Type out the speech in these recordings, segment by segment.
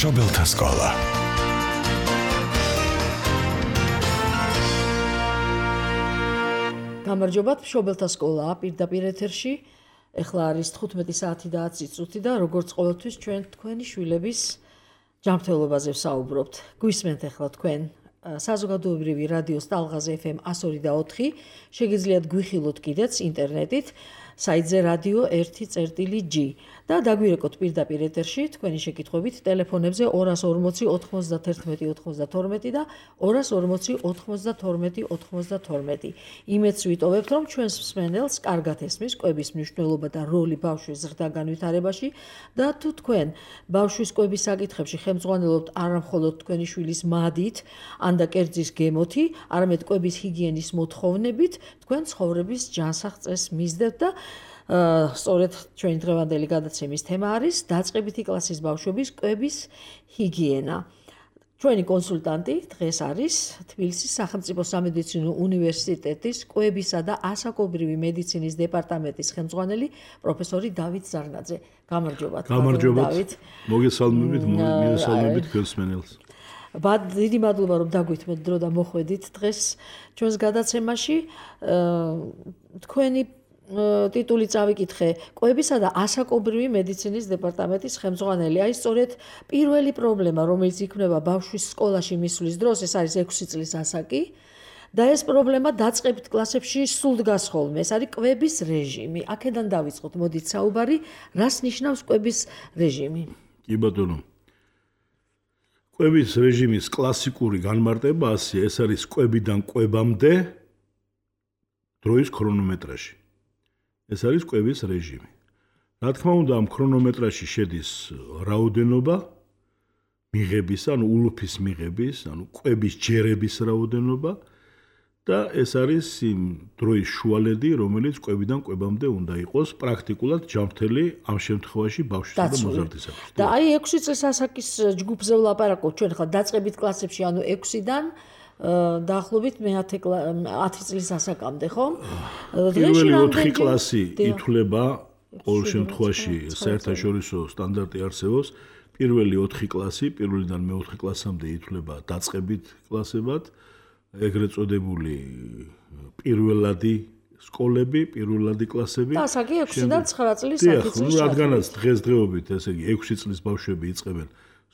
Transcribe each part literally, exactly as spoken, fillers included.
მშობელთა სკოლა. გამარჯობათ, მშობელთა სკოლა პირდაპირ ეთერში. ეხლა არის თხუთმეტი საათი და ათი წუთი და როგორც ყოველთვის ჩვენ თქვენი შვილების ჯანმრთელობაზე ვსაუბრობთ. გვისმენთ ეხლა თქვენ საზოგადოებრივი რადიოს ტალღაზე ეფ ემ εκατო ორი და ოთხი, შეგიძლიათ გვიხილოთ კიდეც ინტერნეტით საიტზე რადიო ერთი წერტილი ჯი და დაგვირეკოთ პირდაპირ ეთერში თქვენი შეკითხვებით ტელეფონებზე ორას ორმოცი ოთხმოცდათერთმეტი ოცდათორმეტი და ორას ორმოცი ოთხმოცდათორმეტი ოცდათორმეტი. იმედს ვიტოვებთ, რომ ჩვენს მსმენელს კარგად ესმის კვების მნიშვნელობა და როლი ბავშვის ზრდა განვითარებაში და თუ თქვენ ბავშვის კვების საკითხებში ხელმძღვანელობთ არა მხოლოდ თქვენი შვილის მადით ან და კერძის გემოთი, არამედ კვების ჰიგიენის მოთხოვნებით, თქვენ ცხოვრების ჯანსაღ წესს მისდევთ და სწორედ ჩვენი დღევანდელი გადაცემის თემა არის დაწყებითი კლასის ბავშვების კვების ჰიგიენა. ჩვენი კონსულტანტი დღეს არის თბილისის სახელმწიფო სამედიცინო უნივერსიტეტის კვებისა და ასაკობრივი მედიცინის დეპარტამენტის ხელმძღვანელი პროფესორი დავით ზარნაძე. გამარჯობათ. გამარჯობათ. მოგესალმებით, მოგესალმებით გესმენელს. დიდი მადლობა რომ დაგვითმეთ დრო და მოხვედით დღეს ჩვენს გადაცემაში. თქვენი ტიტული წავიკითხე კვებისა და ასაკობრივი მედიცინის დეპარტამენტის ხელმძღვანელი. აი სწორედ პირველი პრობლემა, რომელიც იქმნება ბავშვის სკოლაში მისვლის დროს, ეს არის ექვსი წლის ასაკი და ეს პრობლემა დაწყებით კლასებში სულ დგას ხოლმე. ეს არის კვების რეჟიმი. აქედან დავიწყოთ, მოდით საუბარი, რას ნიშნავს კვების რეჟიმი? კი ბატონო. კვების რეჟიმის კლასიკური განმარტება ასეა, ეს არის კვებიდან კვებამდე დროის ქრონომეტრაჟი. ეს არის კვების რეჟიმი. რა თქმა უნდა, ამ ქრონომეტრაჟში შედის რაოდენობა მიღების, ანუ ულუფის მიღების, ანუ კვების ჯერების რაოდენობა და ეს არის იმ დროის შუალედი, რომელიც კვებიდან კვებამდე უნდა იყოს პრაქტიკულად ჯანმრთელი ამ შემთხვევაში ბავშვისა და მოზარდისათვის. და აი ექვსი წლის ასაკის ჯგუფზე ვლაპარაკობთ ჩვენ ხა დაწყებით კლასებში, ანუ ექვსიდან დაახლოებით ათი წლის ასაკამდე, ხო? პირველი ოთხი კლასი ითვლება ყოველ შემთხვევაში საერთაშორისო სტანდარტი არსებობს. პირველი ოთხი კლასი, პირველიდან მეოთხე კლასამდე ითვლება დაწყებით კლასებად, ეგრეთ წოდებული პირველადი სკოლები, პირველადი კლასები. და ასაკი ექვსიდან ცხრა წლის ათი წლის. რადგანაც დღესდღეობით, ესე იგი ექვსი წლის ბავშვები იწყებენ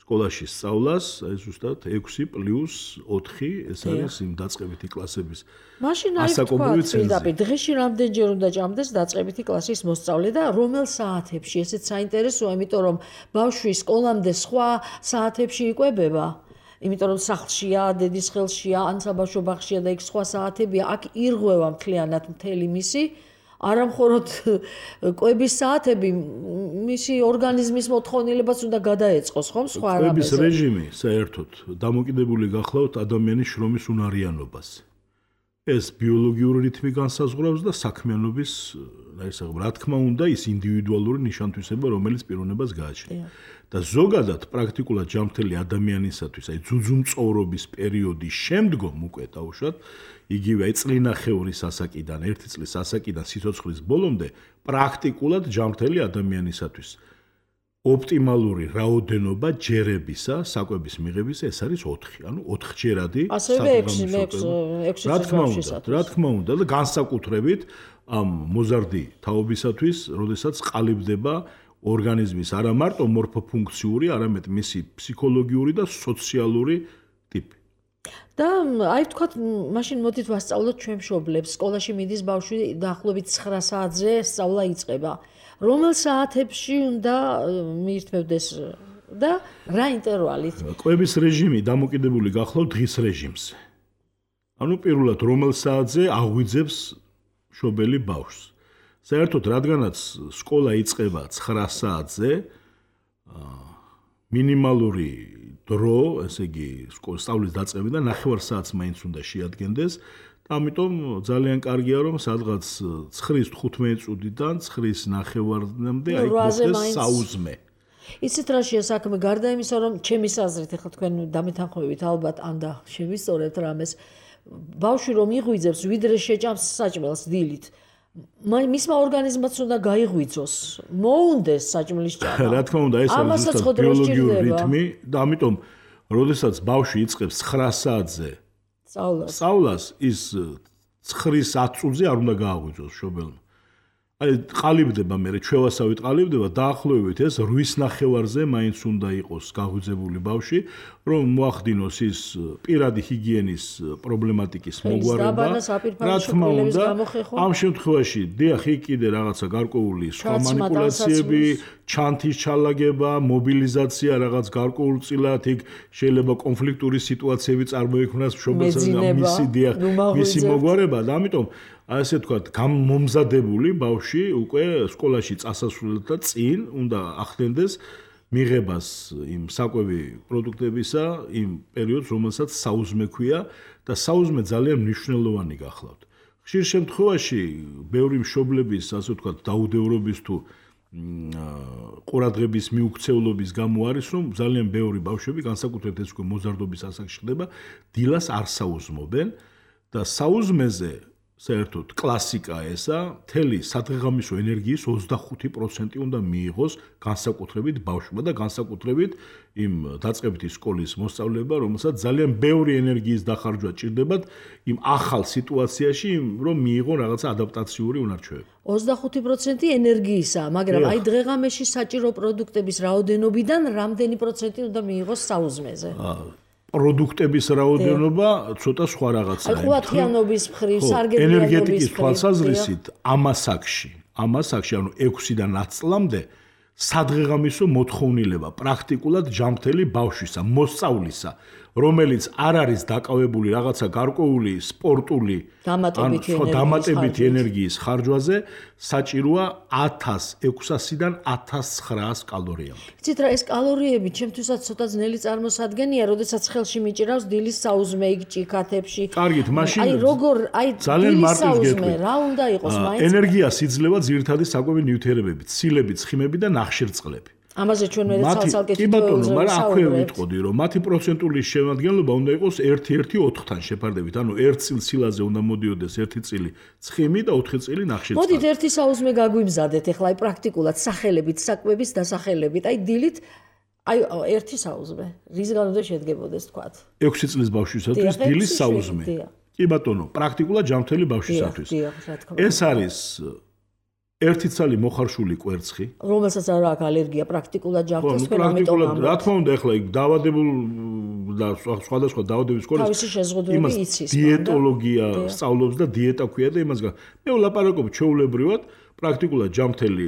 სკოლაში სწავლას, აი ზუსტად ექვსი პლუს ოთხი, ეს არის იმ დაწყებითი კლასების ასაკობრივი ცენზი. დღეში რამდენჯერ უნდა ჭამდეს დაწყებითი კლასის მოსწავლე და რომელ საათებში? ესეც საინტერესოა, იმიტომ რომ ბავშვი სკოლამდე სხვა საათებში იკვებება. იმიტომ რომ სახლშია, დედის ხელშია, ან საბავშვო ბაღშია და იქ სხვა საათებია, აქ ირღვევა მთლიანად მთელი მისი არა მხოლოდ კვების საათები, მისი ორგანიზმის მოთხოვნილებას უნდა გადაეწყოს, ხომ, სხვა რამეზე. კვების რეჟიმი საერთოდ დამოკიდებული გახლავთ ადამიანის შრომის უნარიანობას. ეს ბიოლოგიური რითმი განსაზღვრავს და საქმიანობის, რა თქმა უნდა, ის ინდივიდუალური ნიშან-თვისება, რომელიც პიროვნებას გააჩნია. და ზოგადად პრაქტიკულად ჯანმრთელი ადამიანისათვის, აი ძუძუმწოვრობის პერიოდის შემდგომ უკვე დაუშვათ, იგივე აი წლინახევრის ასაკიდან, ერთი წლის ასაკიდან სიცოცხლის ბოლომდე პრაქტიკულად ჯანმრთელი ადამიანისათვის ოპტიმალური რაოდენობა ჯერებისა, საკვების მიღებისა ეს არის ოთხი, ანუ ოთხჯერადი საკვების. რა თქმა უნდა, რა თქმა უნდა და განსაკუთრებით ამ მოზარდი თაობისათვის, როდესაც ყალიბდება ორგანიზმის არა მარტო მორფოფუნქციური, არამედ მისი ფსიქოლოგიური და სოციალური ტიპი. და აი ვთქვათ, მაშინ მოდით ვასწავლოთ ჩვენ მშობლებს. სკოლაში მიდის ბავშვი დაახლოებით ცხრა საათზე სწავლა იწყება. რომელ საათებში უნდა მიირთმევდეს და რა ინტერვალით? კვების რეჟიმი დამოკიდებული გახლავთ დღის რეჟიმზე. ანუ პირველად რომელ საათზე აღვიძებს მშობელი ბავშვს. საერთოდ რადგანაც სკოლა იწყება ცხრა საათზე, მინიმალური დრო, ესე იგი, სწავლის დაწყებიდან ნახევარ საათს მაინც უნდა შეადგენდეს და ამიტომ ძალიან კარგია რომ სადღაც ცხრის თხუთმეტი წუთიდან ცხრის ნახევარამდე აი მოხდეს საუზმე. იცით რა შეა საქმე, გარდა იმისა რომ ჩემი აზრით, ახლა თქვენ დამეთანხმებით ალბათ ან და შევისწორებთ რამეს, ბავშვი რომ იღვიძებს, ვიდრე შეჭამს საჭმელს დილით, მისმა ორგანიზმაც უნდა გაიღვიძოს, მოუნდეს საჭმლის ჭამა. რა თქმა უნდა, ეს არის ზუსტად ბიოლოგიური რითმი და ამიტომ, როდესაც ბავშვი იწყებს ცხრა საათზე სწავლას, სწავლას ის ცხრის ათ წუთზე არ უნდა გააღვიძოს მშობელმა. აი ყალიბდება მე ჩვევასავით ყალიბდება დაახლოებით ეს რვის ნახევარზე მაინც უნდა იყოს გაღვიძებული ბავშვი რომ მოახდინოს ის პირადი ჰიგიენის პრობლემატიკის მოგვარება რა თქმა უნდა ამ შემთხვევაში დიახ იქ კიდე რაღაცა გარკვეული სხვა მანიპულაციები ჩანთის ჩალაგება მობილიზაცია რაღაც გარკვეულწილად იქ შეიძლება კონფლიქტური სიტუაციები წარმოიქმნას მშობელსა და მისი დიახ მისი მოგვარება და ამიტომ ასე თქვათ, გამომზადებული ბავშვი უკვე სკოლაში წასასვლელთან წინ უნდა ახდენდეს მიღებას იმ საკვები პროდუქტებისა, იმ პერიოდს, რომელსაც საუზმე ქვია და საუზმე ძალიან მნიშვნელოვანი გახლავთ. ხშირ შემთხვევაში ბევრი მშობლების, ასე ვთქვათ, დაუდევრობის თუ ყურადღების მიუქცევლობის გამო არის, რომ ძალიან ბევრი ბავშვები, განსაკუთრებით ეს უკვე მოზარდობის ასაკში ხდება, დილას არ საუზმობენ და საუზმეზე საერთოდ კლასიკა ესა, მთელი სადღეღამისო ენერგიის ოცდახუთი პროცენტი უნდა მიიღოს განსაკუთრებით ბავშვმა და განსაკუთრებით იმ დაწყებითი სკოლის მოსწავლეებმა, რომელსაც ძალიან ბევრი ენერგიის დახარჯვა ჭირდებათ იმ ახალ სიტუაციაში, რომ მიიღონ რაღაცა ადაპტაციური უნარჩვევები. ოცდახუთი პროცენტი ენერგიისაა, მაგრამ აი დღეღამეში საჭირო პროდუქტების რაოდენობიდან რამდენი პროცენტი უნდა მიიღოს საუზმეზე? პროდუქტების რაოდენობა ცოტა სხვა რაღაცაა. აი ხვათიანობის მხრივ, სარგებლიანობის ენერგეტიკის თვალსაზრისით ამასაკში, ამასაკში ანუ ექვსიდან ათ წლამდე სადღეღამისო მოთხოვნილება პრაქტიკულად ჯანმრთელი ბავშვისა, მოსწავლისა, რომელიც არ არის დაკავებული რაღაცა გარკვეული სპორტული დამატებითი ენერგიის ხარჯვაზე, საჭიროა ათას ექვსასიდან ათას ცხრაას კალორიამდე. იცით რა, ეს კალორიები ჩემთვისაც ცოტა ძნელი წარმოსადგენია, როდესაც ხელში მიჭირავს დილის საუზმე იქ ჭიქათებში. კარგით, მაშინ აი როგორ, აი დილის საუზმე რა უნდა იყოს მაინც? ენერგიას იძლევა ძირითადი საკვები ნივთიერებები, ცილები, ცხიმები და ნახშირწყლები. ამაზე ჩვენ მე ცალ-ცალკე თითოეულზე ვსაუბრობთ. მაგრამ აქვე ვიტყოდი, რომ მათი პროცენტული შემადგენლობა უნდა იყოს ერთი ერთი ოთხთან შეფარდებით. ანუ ერთ წილ სილაზე უნდა მოდიოდეს ერთი წილი ცხიმი და ოთხი წილი ნახშირწყალი. მოდით ერთი საუზმე გაგვიმზადეთ ახლა აი პრაქტიკულად სახელებით, საკვების დასახელებით. აი დილით აი ერთი საუზმე. რისგან უნდა შედგებოდეს თქვათ? ექვსი წლის ბავშვისათვის დილის საუზმე. კი ბატონო, პრაქტიკულად ჯანმრთელი ბავშვისათვის. ეს არის ერთი ცალი მოხარშული კვერცხი, რომელსაც არ აქვს ალერგია პრაქტიკულად ჯანმრთელს თქვენ ამიტომ პრაქტიკულად რა თქმა უნდა ახლა იქ დაავადებულ და სხვადასხვა დაავადების სკოლის თავისი შეზღუდვები იცის დიეტოლოგია სწავლობს და დიეტა ქვია და იმას გან მე ვლაპარაკობ ჩვეულებრივად პრაქტიკულად ჯანმრთელი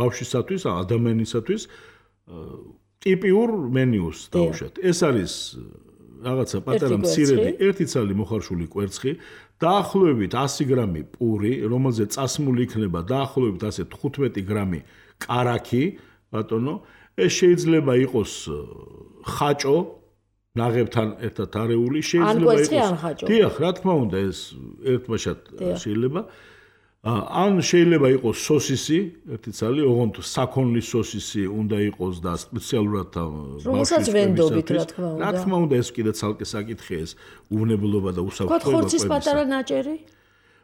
ბავშვისათვის ადამიანისათვის ტიპიურ მენიუს დავუშვათ ეს არის რაღაცა პატარა მცირედი ერთი ცალი მოხარშული კვერცხი დაახლოებით ასი გრამი პური, რომელზე წასმული იქნება დაახლოებით ასე თხუთმეტი გრამი კარაქი, ბატონო, ეს შეიძლება იყოს ხაჭო, ნაღებთან ერთად არეული, შეიძლება იყოს. დიახ, რა თქმა უნდა, ეს ერთბაშად შეიძლება. ან შეიძლება იყოს სოსისი, ერთი ცალი, ოღონდ საქონლის სოსისი უნდა იყოს და სპეციალურად რომელსაც ვენდობით, რა თქმა უნდა. რა თქმა უნდა, ეს კიდე ცალკე საკითხია, ეს უვნებლობა და უსაფრთხოება. ხორცის პატარა ნაჭერი?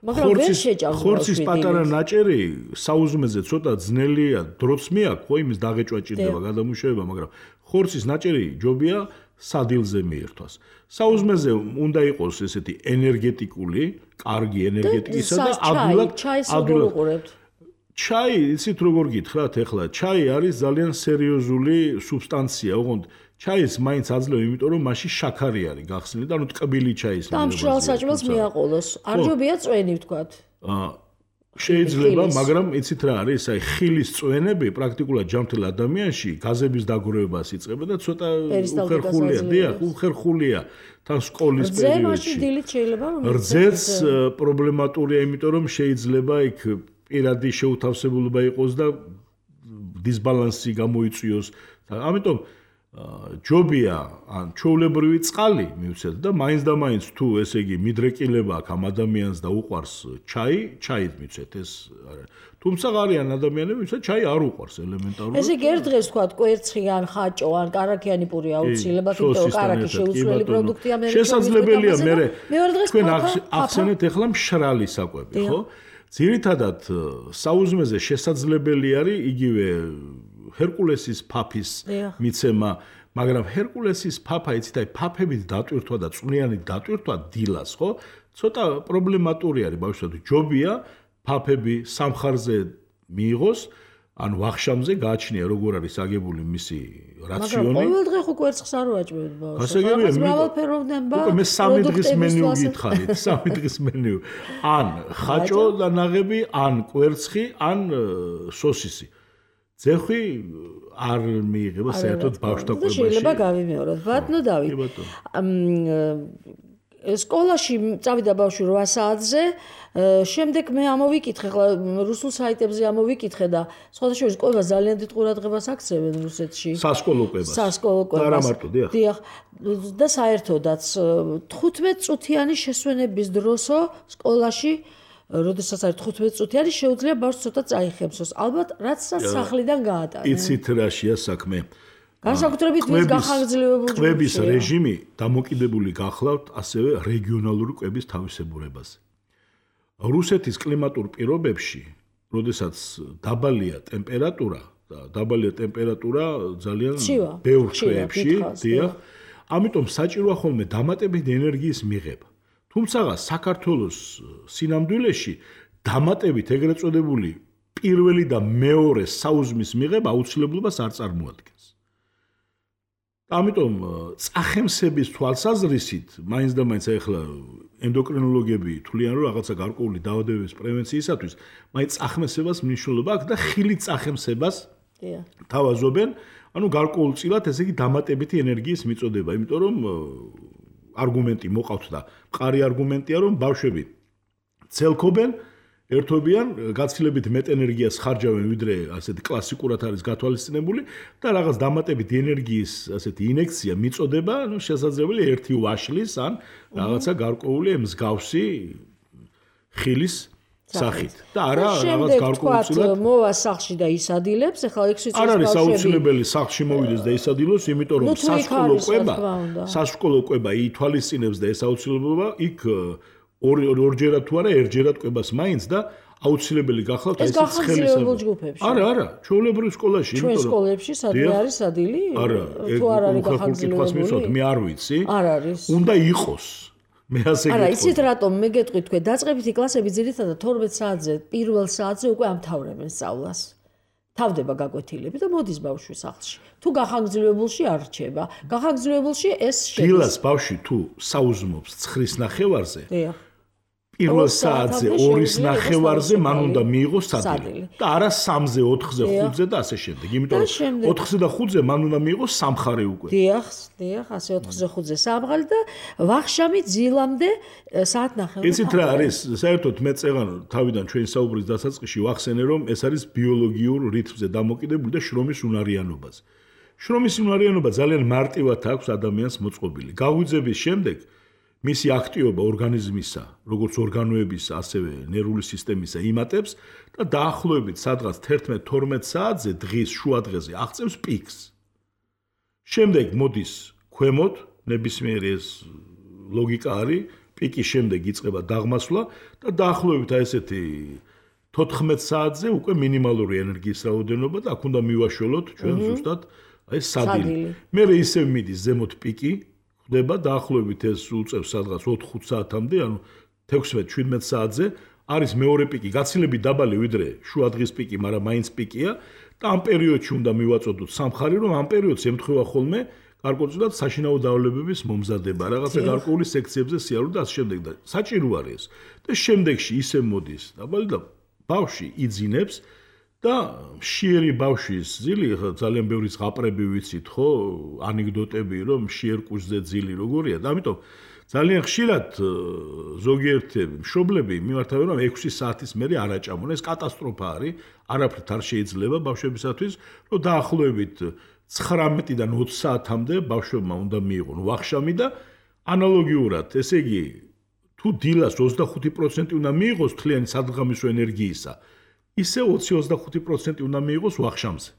მაგრამ ვერ შეჭამს. ხორცის პატარა ნაჭერი საუზმეზე ცოტა ძნელია, დროც მიაქვს, ხო, იმის დაღეჭვა ჭირდება, გადამუშავება, მაგრამ ხორცის ნაჭერი ჯობია სადილზე მიერთვას. საუზმეზე უნდა იყოს ესეთი ენერგეტიკული, კარგი ენერგეტიკისა და ადვილად ადვილად ჩაი, იცით როგორ გითხრათ ახლა, ჩაი არის ძალიან სერიოზული სუბსტანცია, ოღონდ ჩაის მაინც აძლევ, იმიტომ რომ მასში შაქარი არის გახსნილი და ანუ ტკბილი ჩაის და მშრალ საჭმელს მიაყოლოს. არ ჯობია წვენი ვთქვათ. აა შეიძლება, მაგრამ იცით რა არის, აი ხილის წვენები პრაქტიკულად ჯანმრთელ ადამიანში გაზების დაგროვებას იწყება და ცოტა უხერხულია, დიახ, უხერხულია თან სკოლის პერიოდში. რძეც პრობლემატურია, იმიტომ რომ შეიძლება იქ პირადი შეუთავსებულობა იყოს და დისბალანსი გამოიწვიოს. ამიტომ ჯობია ან ჩვეულებრივი წყალი მივცეთ და მაინც და მაინც თუ ესე იგი მიდრეკილება აქვს ამ ადამიანს და უყვარს ჩაი, ჩაით მივცეთ ეს არა. თუმცა არიან ადამიანები, ვისაც ჩაი არ უყვარს ელემენტარულად. ესე იგი ერთ დღეს თქვა კვერცხი ან ხაჭო ან კარაქიანი პური აუცილებლად, იმიტომ რომ კარაქი შეუცვლელი პროდუქტია მე შესაძლებელია მე თქვენ ახსენეთ ახლა მშრალი საკვები, ხო? ძირითადად საუზმეზე შესაძლებელი არის იგივე ჰერკულესის ფაფის მიცემა, მაგრამ ჰერკულესის ფაფა იცით აი ფაფებით დატვირთვა და წვნიანი დატვირთვა დილას, ხო? ცოტა პრობლემატური არის ბავშვებო, ჯობია ფაფები სამხარზე მიიღოს, ან ვახშამზე გააჩნია როგორ არის აგებული მისი რაციონი. მაგრამ ყოველ დღე ხო კვერცხს არ ვაჭმევთ ბავშვს. გასაგებია, მრავალფეროვნება. უკვე მე სამი დღის მენიუ გითხარით, სამი დღის მენიუ. ან ხაჭო და ნაღები, ან კვერცხი, ან სოსისი. ძეხვი არ მიიღება საერთოდ ბავშვთა კვებაში. შეიძლება გავიმეოროთ. ბატონო დავით. სკოლაში წავიდა ბავშვი რვა საათზე, შემდეგ მე ამოვიკითხე, ხლა რუსულ საიტებზე ამოვიკითხე და სხვადასხვა კვება ძალიან დიდ ყურადღებას აქცევენ რუსეთში. სასკოლო კვებას. სასკოლო კვებას. და რა მარტო, დიახ. დიახ. და საერთოდაც თხუთმეტ წუთიანი შესვენების დროსო სკოლაში, როდესაც არის თხუთმეტ წუთიანი, შეუძლია ბავშვს ცოტა წაიხებსოს. ალბათ რაც სახლიდან გაატარენ. იცით რაშია საქმე? განსაკუთრებით მის გახანგრძლივებულ კვების რეჟიმი დამოკიდებული გახლავთ ასევე რეგიონალური კვების თავისებურებაზე. რუსეთის კლიმატურ პირობებში, როდესაც დაბალია ტემპერატურა და დაბალია ტემპერატურა ძალიან ბევრ თვეებში, დიახ, ამიტომ საჭიროა ხოლმე დამატებითი ენერგიის მიღება. თუმცა საქართველოს სინამდვილეში დამატებით ეგრეთ წოდებული პირველი და მეორე საუზმის მიღება აუცილებლობას არ წარმოადგენს. ამიტომ წახემსების თვალსაზრისით, მაინც და მაინც ახლა ენდოკრინოლოგები თვლიან, რომ რაღაცა გარკვეული დაავადებების პრევენციისათვის, მაინც წახემსებას მნიშვნელობა აქვს და ხილით წახემსებას თავაზობენ, ანუ გარკვეულწილად ესე იგი დამატებითი ენერგიის მიწოდება, იმიტომ რომ არგუმენტი მოყავთ და მყარი არგუმენტია, რომ ბავშვები ცელქობენ, ერთობიან, გაცილებით მეტ ენერგიას ხარჯავენ, ვიდრე ასეთი კლასიკურად არის გათვალისწინებული და რაღაც დამატებითი ენერგიის ასეთი ინექცია მიწოდება, ну, შესაძლებელი ერთი ვაშლის ან რაღაცა გარკვეული მსგავსი ხილის სახით. და არა რაღაც გარკვეულწილად მოვა სახლში და ისადილებს, ახლა ექვსი წლის ბავშვები. არ არის აუცილებელი სახლში მოვიდეს და ისადილოს, იმიტომ რომ სასკოლო კვება, სასკოლო კვება ითვალისწინებს და ეს აუცილებლობა იქ ორჯერად თუ არა ერთჯერად კვებას მაინც და აუცილებელი გახლავთ ეს გახანგრძლივებულ ჯგუფებში. არა, არა, ჩვეულებრივ სკოლაში, იმიტომ რომ ჩვენ სკოლებში სადმე არის ადილი? არა, თუ არ არის გახანგრძლივებული, მე არ ვიცი. არ არის. უნდა იყოს. მე ასე გეტყვი. არა, იცით რატომ მე გეტყვი თქვენ, დაწყებითი კლასები ძირითადად თორმეტ საათზე, პირველ საათზე უკვე ამთავრებენ სწავლას. თავდება გაკვეთილები და მოდის ბავშვი სახლში. თუ გახანგრძლივებულში არ რჩება. გახანგრძლივებულში ეს შედის. დილას ბავშვი თუ საუზმობს ცხრის ნახევარზე, დიახ. პირველ საათზე ორის ნახევარზე მან უნდა მიიღოს სადილი და არა სამზე, ოთხზე, ხუთზე და ასე შემდეგ. იმიტომ რომ ოთხზე და ხუთზე მან უნდა მიიღოს სამხარე უკვე. დიახ, დიახ, ასე ოთხზე, ხუთზე სამხარე და ვახშამი ძილამდე საათ ნახევარი. იცით რა არის? საერთოდ მე წეღან თავიდან ჩვენი საუბრის დასაწყისში ვახსენე, რომ ეს არის ბიოლოგიურ რითმზე დამოკიდებული და შრომის უნარიანობაზე. შრომის უნარიანობა ძალიან მარტივად აქვს ადამიანს მოწყობილი. გაღვიძების შემდეგ მისი აქტივობა ორგანიზმისა, როგორც ორგანოებისა, ასევე ნერვული სისტემისა იმატებს და დაახლოებით სადღაც თერთმეტ თორმეტ საათზე დღის შუადღეზე აღწევს პიკს. შემდეგ მოდის ქვემოთ, ნებისმიერი ეს ლოგიკა არის, პიკის შემდეგ იწყება დაღმასვლა და დაახლოებით აი ესეთი თოთხმეტ საათზე უკვე მინიმალური ენერგიის რაოდენობა და აქ უნდა მივაშველოთ ჩვენ ზუსტად აი სადილი. მე ისევ მიდის ზემოთ პიკი ხდება დაახლოებით ეს უწევს სადღაც ოთხ-ხუთ საათამდე, ანუ თექვსმეტ შვიდმეტ საათზე არის მეორე პიკი, გაცილებით დაბალი ვიდრე შუადღის პიკი, მაგრამ მაინც პიკია და ამ პერიოდში უნდა მივაწოდოთ სამხარი, რომ ამ პერიოდს ემთხვევა ხოლმე გარკვეულწილად საშინაო დაავადებების მომზადება, რაღაცა გარკვეული სექციებზე სიარული და ასე შემდეგ და საჭირო არის ეს. და შემდეგში ისე მოდის დაბალი და ბავშვი იძინებს და მშიერი ბავშვის ძილი, ძალიან ბევრი ზღაპრები ვიცით, ხო, ანეკდოტები, რომ მშიერ კუჭზე ძილი როგორია და ამიტომ ძალიან ხშირად ზოგიერთი მშობლები მიმართავენ, რომ ექვსი საათის მერე არ აჭამონ. ეს კატასტროფა არის, არაფრით არ შეიძლება ბავშვებისათვის, რომ დაახლოებით ცხრამეტიდან ოცი საათამდე ბავშვებმა უნდა მიიღონ ვახშამი და ანალოგიურად, ესე იგი, თუ დილას ოცდახუთი პროცენტი უნდა მიიღოს თლიანი სადღამისო ენერგიისა, ისე ოცი ოცდახუთი პროცენტი უნდა მიიღოს ვახშამზე.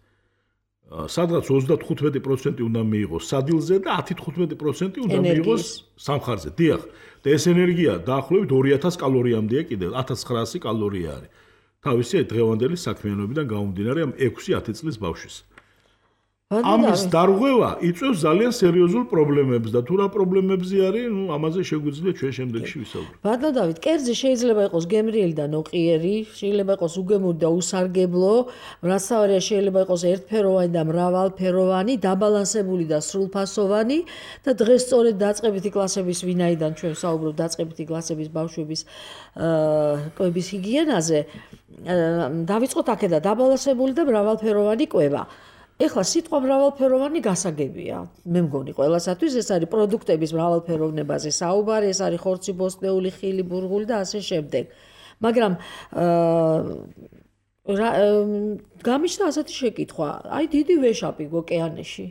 სადღაც ოცდათხუთმეტი პროცენტი უნდა მიიღოს სადილზე და ათი თხუთმეტი პროცენტი უნდა მიიღოს სამხარზე. დიახ, და ეს ენერგია დაახლოებით ორი ათასი კალორიამდეა კიდევ, ათას ცხრაასი კალორია არის. თავისი დღევანდელი საქმიანობიდან გამომდინარე ამ ექვსი ათი წლის ბავშვის. ამის დარღვევა იწვევს ძალიან სერიოზულ პრობლემებს და თუ რა პრობლემებზე არის, ნუ ამაზე შეგვიძლია ჩვენ შემდეგში ვისაუბროთ. ბატონო დავით, კერძი შეიძლება იყოს გემრიელი და ნოყიერი, შეიძლება იყოს უგემური და უსარგებლო, მრავალფეროვანი შეიძლება იყოს ერთფეროვანი და მრავალფეროვანი, დაბალანსებული და სრულფასოვანი და დღეს სწორედ დაწყებითი კლასების ვინაიდან ჩვენ ვსაუბრობთ დაწყებითი კლასების ბავშვების კვების ჰიგიენაზე, დავიწყოთ აქედან დაბალანსებული და მრავალფეროვანი კვება. ეხლა სიტყვა მრავალფეროვანი გასაგებია. მე მგონი ყველასათვის ეს არის პროდუქტების მრავალფეროვნებაზე საუბარი, ეს არის ხორცი, ბოსტნეული, ხილი, ბურღული და ასე შემდეგ. მაგრამ გამიშთა ასეთი შეკითხვა, აი დიდი ვეშაპი ოკეანეში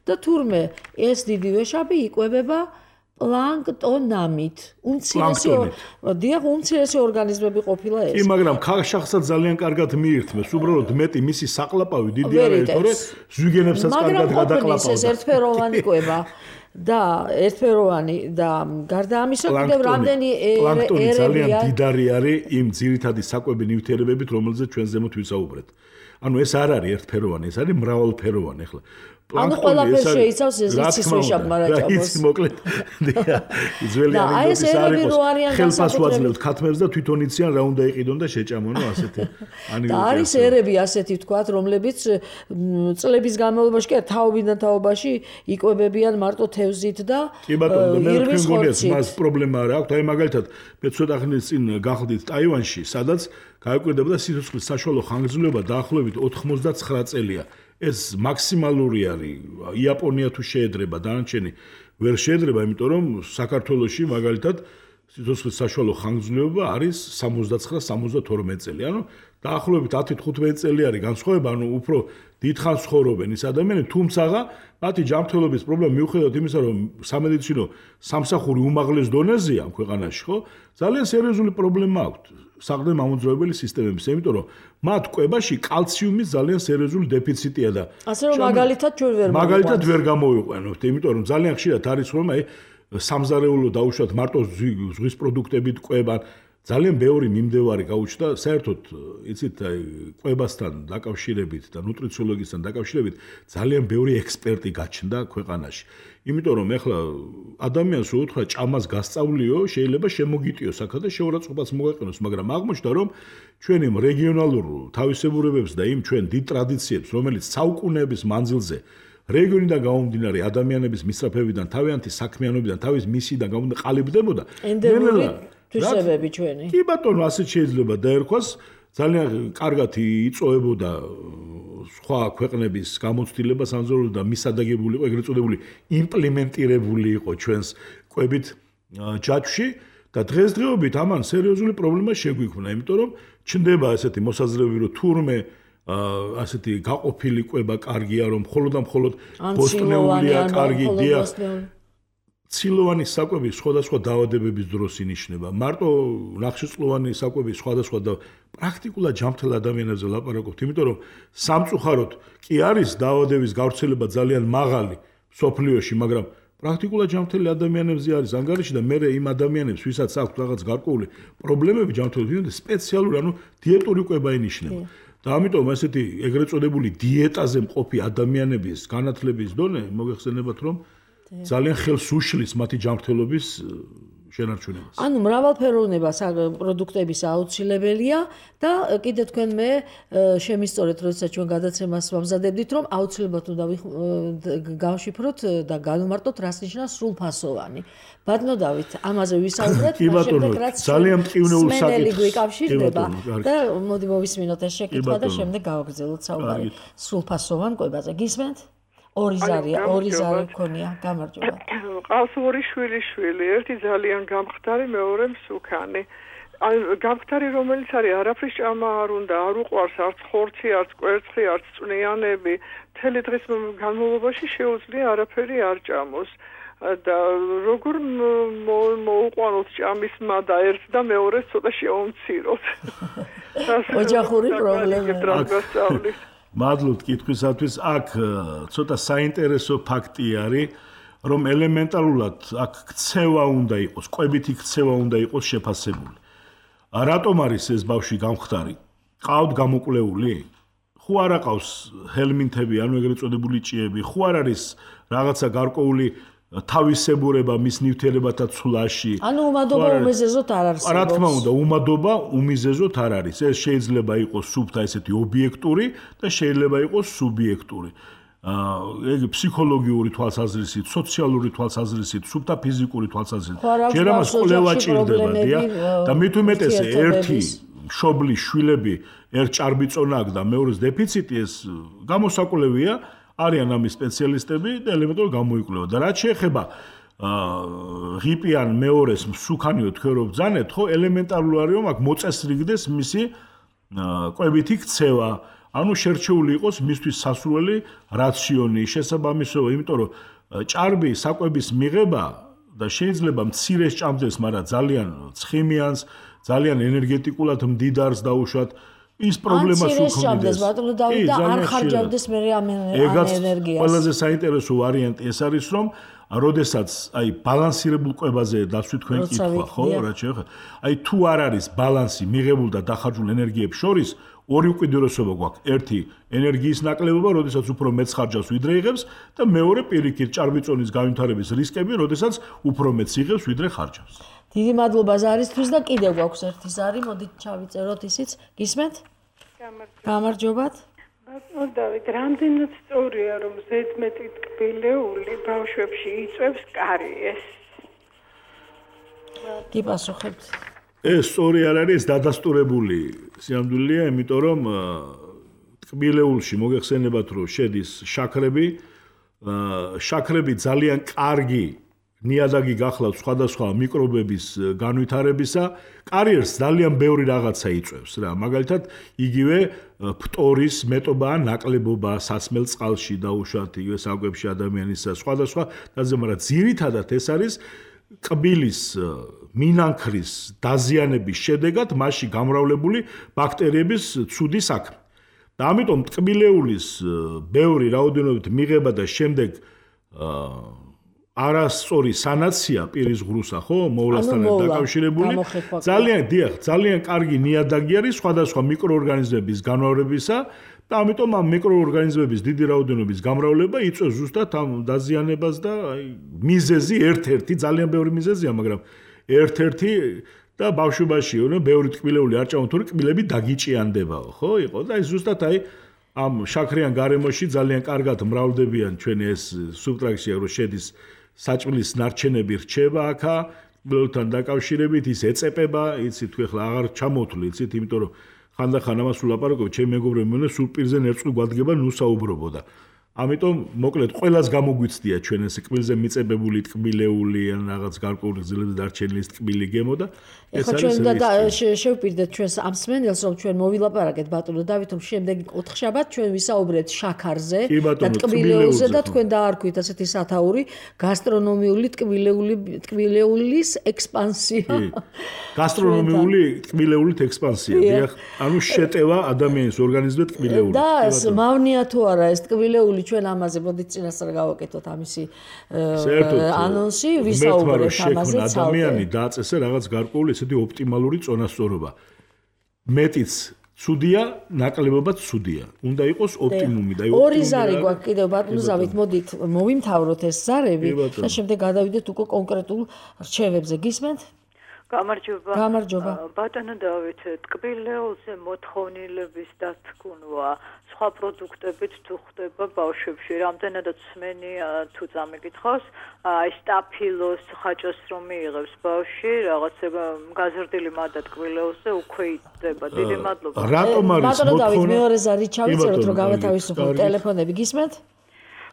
და თურმე ეს დიდი ვეშაპი იკვებება პლანქტონამით. უმცირესი დიახ, უმცირესი ორგანიზმები ყოფილა ეს. კი, მაგრამ ქაშახსაც ძალიან კარგად მიირთმევს. უბრალოდ მეტი მისი საყლაპავი დიდი არის, თორე ზვიგენებსაც კარგად გადაყლაპავს. ეს ერთფეროვანი კვება და ერთფეროვანი და გარდა ამისა კიდევ რამდენი პლანქტონი ძალიან დიდარი არის იმ ძირითადი საკვები ნივთიერებებით, რომელზეც ჩვენ ზემოთ ვისაუბრეთ. ანუ ეს არ არის ერთფეროვანი, ეს არის მრავალფეროვანი. ახლა ანუ ყველაფერს შეიცავს ეს იცის ვეშაპ მარაჭამოს. ის მოკლედ. ძველი ანეკდოტის არ იყოს. ხელფას ვაძლევთ ქათმებს და თვითონ იციან რა უნდა იყიდონ და შეჭამონ, ასეთი ანეკდოტი. და არის ერები ასეთი ვთქვათ, რომლებიც წლების განმავლობაში კი თაობიდან თაობაში იკვებებიან მარტო თევზით და ირმის ხორცით. მას პრობლემა არ აქვს. აი მაგალითად, მე ცოტა ხნის წინ გახდით ტაივანში, სადაც გაიკვირდებოდა სიცოცხლის საშუალო ხანგრძლივობა დაახლოებით ოთხმოცდაცხრა წელია. ეს მაქსიმალური არის. იაპონია თუ შეედრება, დანარჩენი ვერ შეედრება, იმიტომ რომ საქართველოში მაგალითად სიცოცხლის საშუალო ხანგრძლივობა არის სამოცდაცხრა სამოცდათორმეტი წელი. ანუ დაახლოებით ათი თხუთმეტი წელი არის განსხვავება, ანუ უფრო დიდხანს ცხოვრობენ ის ადამიანები, თუმცა მათი ჯანმრთელობის პრობლემა მიუხედავად იმისა, რომ სამედიცინო სამსახური უმაღლეს დონეზეა ამ ქვეყანაში, ხო? ძალიან სერიოზული პრობლემა აქვს. საყრდენ მამოძრავებელი სისტემების, იმიტომ რომ მათ კვებაში კალციუმის ძალიან სერიოზული დეფიციტია და ასე რომ მაგალითად ჩვენ ვერ მაგალითად ვერ გამოვიყვანოთ, იმიტომ რომ ძალიან ხშირად არის რომ აი სამზარეულო დაუშვათ მარტო ზღვის პროდუქტებით კვებან, ძალიან ბევრი მიმდევარი გაუჩნდა, საერთოდ იცით აი კვებასთან დაკავშირებით და ნუტრიციოლოგიასთან დაკავშირებით ძალიან ბევრი ექსპერტი გაჩნდა ქვეყანაში. იმიტომ რომ ეხლა ადამიანს უთხრა ჭამას გასწავლიო, შეიძლება შემოგიტიოს აქა და შეურაცხყოფას მოგაყენოს, მაგრამ აღმოჩნდა რომ ჩვენ იმ რეგიონალურ თავისებურებებს და იმ ჩვენ დიდ ტრადიციებს, რომელიც საუკუნეების მანძილზე რეგიონიდან გამომდინარე ადამიანების მისწრაფებიდან, თავიანთი საქმიანობიდან, თავის მისიდან გამომდინარე ყალიბდებოდა. ენდემური თვისებები ჩვენი. კი ბატონო, ასე შეიძლება დაერქვას, ძალიან კარგად იწოვებოდა სხვა ქვეყნების გამოცდილება სამზარეულო და მისადაგებული იყო, ეგრეთ წოდებული იმპლემენტირებული იყო ჩვენს კვებით ჯაჭვში და დღესდღეობით ამან სერიოზული პრობლემა შეგვიქმნა, იმიტომ რომ ჩნდება ესეთი მოსაზრებები, რომ თურმე ასეთი გაყოფილი კვება კარგია, რომ მხოლოდ და მხოლოდ ბოსტნეულია კარგი, დიახ. ცილოვანი საკვები სხვადასხვა დაავადებების დროს ინიშნება. მარტო ნახშირწყლოვანი საკვები სხვადასხვა და პრაქტიკულად ჯანმრთელ ადამიანებზე ლაპარაკობთ, იმიტომ რომ სამწუხაროდ კი არის დაავადების გავრცელება ძალიან მაღალი სოფლიოში, მაგრამ პრაქტიკულად ჯანმრთელი ადამიანებზე არის ანგარიში და მე იმ ადამიანებს, ვისაც აქვს რაღაც გარკვეული პრობლემები ჯანმრთელობით, სპეციალური, ანუ დიეტური კვება ინიშნება. და ამიტომ ესეთი ეგრეთ წოდებული დიეტაზე მყოფი ადამიანების განათლების დონე მოგეხსენებათ, რომ ძალიან ხელს უშლის მათი ჯანმრთელობის შენარჩუნებას. ანუ მრავალფეროვნება პროდუქტების აუცილებელია და კიდე თქვენ მე შემისწორეთ, როდესაც ჩვენ გადაცემას ვამზადებდით, რომ აუცილებლად უნდა გავშიფროთ და განვმარტოთ, რას ნიშნავს სრულფასოვანი. ბატონო დავით, ამაზე ვისაუბრეთ, შემდეგ რაც ძალიან მტკივნეულ საკითხს გვიკავშირდება და მოდი მოვისმინოთ ეს შეკითხვა და შემდეგ გავაგრძელოთ საუბარი სრულფასოვან კვებაზე. გისმენთ? ორი ზარია, ორი ზარი მქონია, გამარჯობა. ყავს ორი შვილი შვილი, ერთი ძალიან გამხდარი, მეორე მსუქანი. გამხდარი რომელიც არის არაფრის ჭამა არ უნდა, არ უყვარს არც ხორცი, არც კვერცხი, არც წვნიანები, მთელი დღის განმავლობაში შეუძლია არაფერი არ ჭამოს. და როგორ მოუყვანოთ ჭამის მადა ერთ და მეორეს ცოტა შეუმციროთ. ოჯახური პრობლემა. მადლობთ კითხვისათვის. აქ ცოტა საინტერესო ფაქტი არის, რომ ელემენტარულად აქ ქცევა უნდა იყოს, კვებითი ქცევა უნდა იყოს შეფასებული. რატომ არის ეს ბავშვი გამხდარი? ყავთ გამოკვლეული? ხო არ აყავს ჰელმინთები, ანუ ეგრეთ წოდებული ჭიები, ხო არ არის რაღაცა გარკვეული თავისებურება მის ნივთიერებათა ცვლაში. ანუ უმადობა უმიზეზოდ არ არსებობს. რა თქმა უნდა, უმადობა უმიზეზოდ არ არის. ეს შეიძლება იყოს სუბთა ესეთი ობიექტური და შეიძლება იყოს სუბიექტური. აა ეგ ფსიქოლოგიური თვალსაზრისით, სოციალური თვალსაზრისით, სუბთა ფიზიკური თვალსაზრისით. ჯერ ამას კვლევა ჭირდება, დიახ. და მით უმეტეს ერთი მშობლის შვილები ერთ ჭარბიწონა აქვს და მეორეს დეფიციტი, ეს გამოსაკვლევია. არიან ამის სპეციალისტები და ელემენტარულად გამოიკვლევა. და რაც შეეხება ღიპიან მეორეს მსუქანიო თქვენ რო ბრძანეთ, ხო, ელემენტარული არის რომ აქ მოწესრიგდეს მისი კვებითი ქცევა. ანუ შერჩეული იყოს მისთვის სასურველი რაციონი, შესაბამისობა, იმიტომ რომ ჭარბი საკვების მიღება და შეიძლება მცირეს ჭამდეს, მაგრამ ძალიან ცხიმიანს, ძალიან ენერგეტიკულად მდიდარს დაუშვათ. ის პრობლემას უქმნის ბატონო დავით და არ ხარჯავდეს მე ამ ენერგიას. ყველაზე საინტერესო ვარიანტი ეს არის, რომ როდესაც აი ბალანსირებულ კვებაზე დაცვით თქვენ კითხვა, ხო, რა შეიძლება. აი თუ არ არის ბალანსი მიღებულ და დახარჯულ ენერგიებს შორის, ორი უკიდურესობა გვაქვს. ერთი ენერგიის ნაკლებობა, როდესაც უფრო მეც ხარჯავს, ვიდრე იღებს და მეორე პირიქით ჭარბიწონის განვითარების რისკები, როდესაც უფრო მეც იღებს, ვიდრე ხარჯავს. დიდი მადლობა ზარისთვის და კიდევ გვაქვს ერთი ზარი, მოდით ჩავიწეროთ ისიც. გისმენთ? გამარჯობათ. ბატონო დავით, რამდენად სწორია რომ ზედმეტი ტკბილეული ბავშვებში იწვევს კარიეს? კი პასუხებთ. ეს სწორი არ არის, დადასტურებული სიამდვილეა, იმიტომ რომ ტკბილეულში მოგეხსენებათ რომ შედის შაქრები, შაქრები ძალიან კარგი ნიადაგი გახლავთ სხვადასხვა მიკრობების განვითარებისა, კარიერს ძალიან ბევრი რაღაცა იწვევს რა. მაგალითად, იგივე ფტორის მეტობა, ნაკლებობა სასმელ წყალში დაუშვათ, იგივე საკვებში ადამიანისა, სხვადასხვა დაზე, მაგრამ ძირითადად ეს არის კბილის მინანქრის დაზიანების შედეგად მასში გამრავლებული ბაქტერიების ცუდი საქმე. და ამიტომ ტკბილეულის ბევრი რაოდენობით მიღება და შემდეგ არასწორი სანაცია პირის ღრუსა, ხო, მოვლასთან დაკავშირებული, ძალიან დიახ, ძალიან კარგი ნიადაგი არის სხვადასხვა მიკროორგანიზმების განმავლობისა და ამიტომ ამ მიკროორგანიზმების დიდი რაოდენობის გამრავლება იწვევს ზუსტად ამ დაზიანებას და აი მიზეზი ერთ-ერთი, ძალიან ბევრი მიზეზია, მაგრამ ერთ-ერთი და ბავშვობაში, ნუ ბევრი ტკბილეული არ ჭამოთ, თორე კბილები დაგიჭიანდებაო, ხო, იყო და აი ზუსტად აი ამ შაქრიან გარემოში ძალიან კარგად მრავლდებიან ჩვენი ეს სუბტრაქცია, რომ შედის საჭმლის ნარჩენები რჩება აქა, კბილებთან დაკავშირებით ის ეწეპება, იცით თუ ეხლა აღარ ჩამოთვლი, იცით, იმიტომ რომ ხანდახან ამას ვლაპარაკობ, ჩემი მეგობრები მოვნა სულ პირზე ნერწყვი გვადგება, ნუ საუბრობო და ამიტომ მოკლედ ყველას გამოგვიცდია ჩვენ ეს კბილზე მიწებებული ტკბილეული ან რაღაც გარკვეული გზელებზე დარჩენილი ტკბილი გემო და ეს არის ჩვენ და შევპირდეთ ჩვენს ამ სმენელს რომ ჩვენ მოვილაპარაკეთ ბატონო დავით რომ შემდეგი ოთხშაბათ ჩვენ ვისაუბრეთ შაქარზე და ტკბილეულზე და თქვენ დაარქვით ასეთი სათაური გასტრონომიული ტკბილეული ტკბილეულის ექსპანსია გასტრონომიული ტკბილეულით ექსპანსია დიახ ანუ შეტევა ადამიანის ორგანიზმზე ტკბილეული და მავნია თუ არა ეს ტკბილეული ჩვენ ამაზე მოდით წინასწარ გავაკეთოთ ამისი ანონსი ვისაუბრეთ ამაზე ცალკე ადამიანი დააწესე რაღაც გარკვეული ესეთი ოპტიმალური წონასწორობა მეტიც ცუდია ნაკლებობაც ცუდია უნდა იყოს ოპტიმუმი და ორი ზარი გვაქვს კიდევ ბატონო ზავით მოდით მოვიმთავროთ ეს ზარები და შემდეგ გადავიდეთ უკვე კონკრეტულ რჩევებზე გისმენთ გამარჯობა. გამარჯობა. ბატონო დავით, ტკბილეულზე მოთხოვნილების დათქმვა სხვა პროდუქტებით თუ ხდება ბავშვებში, რამდენადაც სმენია თუ წამიკითხავს, აი სტაფილოს ხაჭოს რომ მიიღებს ბავშვი, რაღაცა გაზრდილი მადა ტკბილეულზე უკვე იწყება. დიდი მადლობა. რატომ არის ბატონო დავით, მეორე ზარი ჩავიწეროთ რომ გავათავისუფლოთ ტელეფონები, გისმენთ?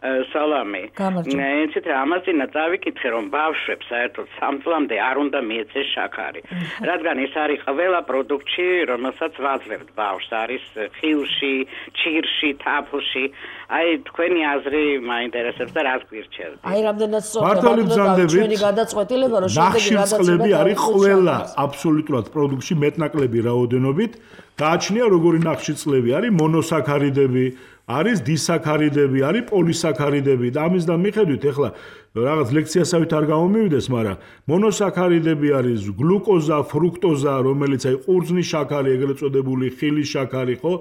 სალამი. ეცეთ რა ამაზინა წავიკითხე რომ ბავშვებს საერთოდ სამ წლამდე არ უნდა მიეცეს შაქარი. რადგან ეს არის ყველა პროდუქტში, რომელსაც ვაძლევთ ბავშვს, არის ხილში, ჭირში, თაფლში. აი თქვენი აზრი მაინტერესებს და რას გვირჩევთ? აი რამდენად სწორია ჩვენი გადაწყვეტილება რომ შემდეგი გადაწყვეტილება არის ყველა აბსოლუტურად პროდუქტში მეტნაკლები რაოდენობით გააჩნია როგორი ნახშირწყლები არის მონოსაქარიდები არის დისაქარიდები, არის პოლისაქარიდები და ამის და მიხედვით ეხლა რაღაც ლექციასავით არ გამომივიდეს, მაგრამ მონოსაქარიდები არის გლუკოზა, ფრუქტოზა, რომელიც აი ყურძნის შაქარი, ეგრეთ წოდებული ხილის შაქარი, ხო?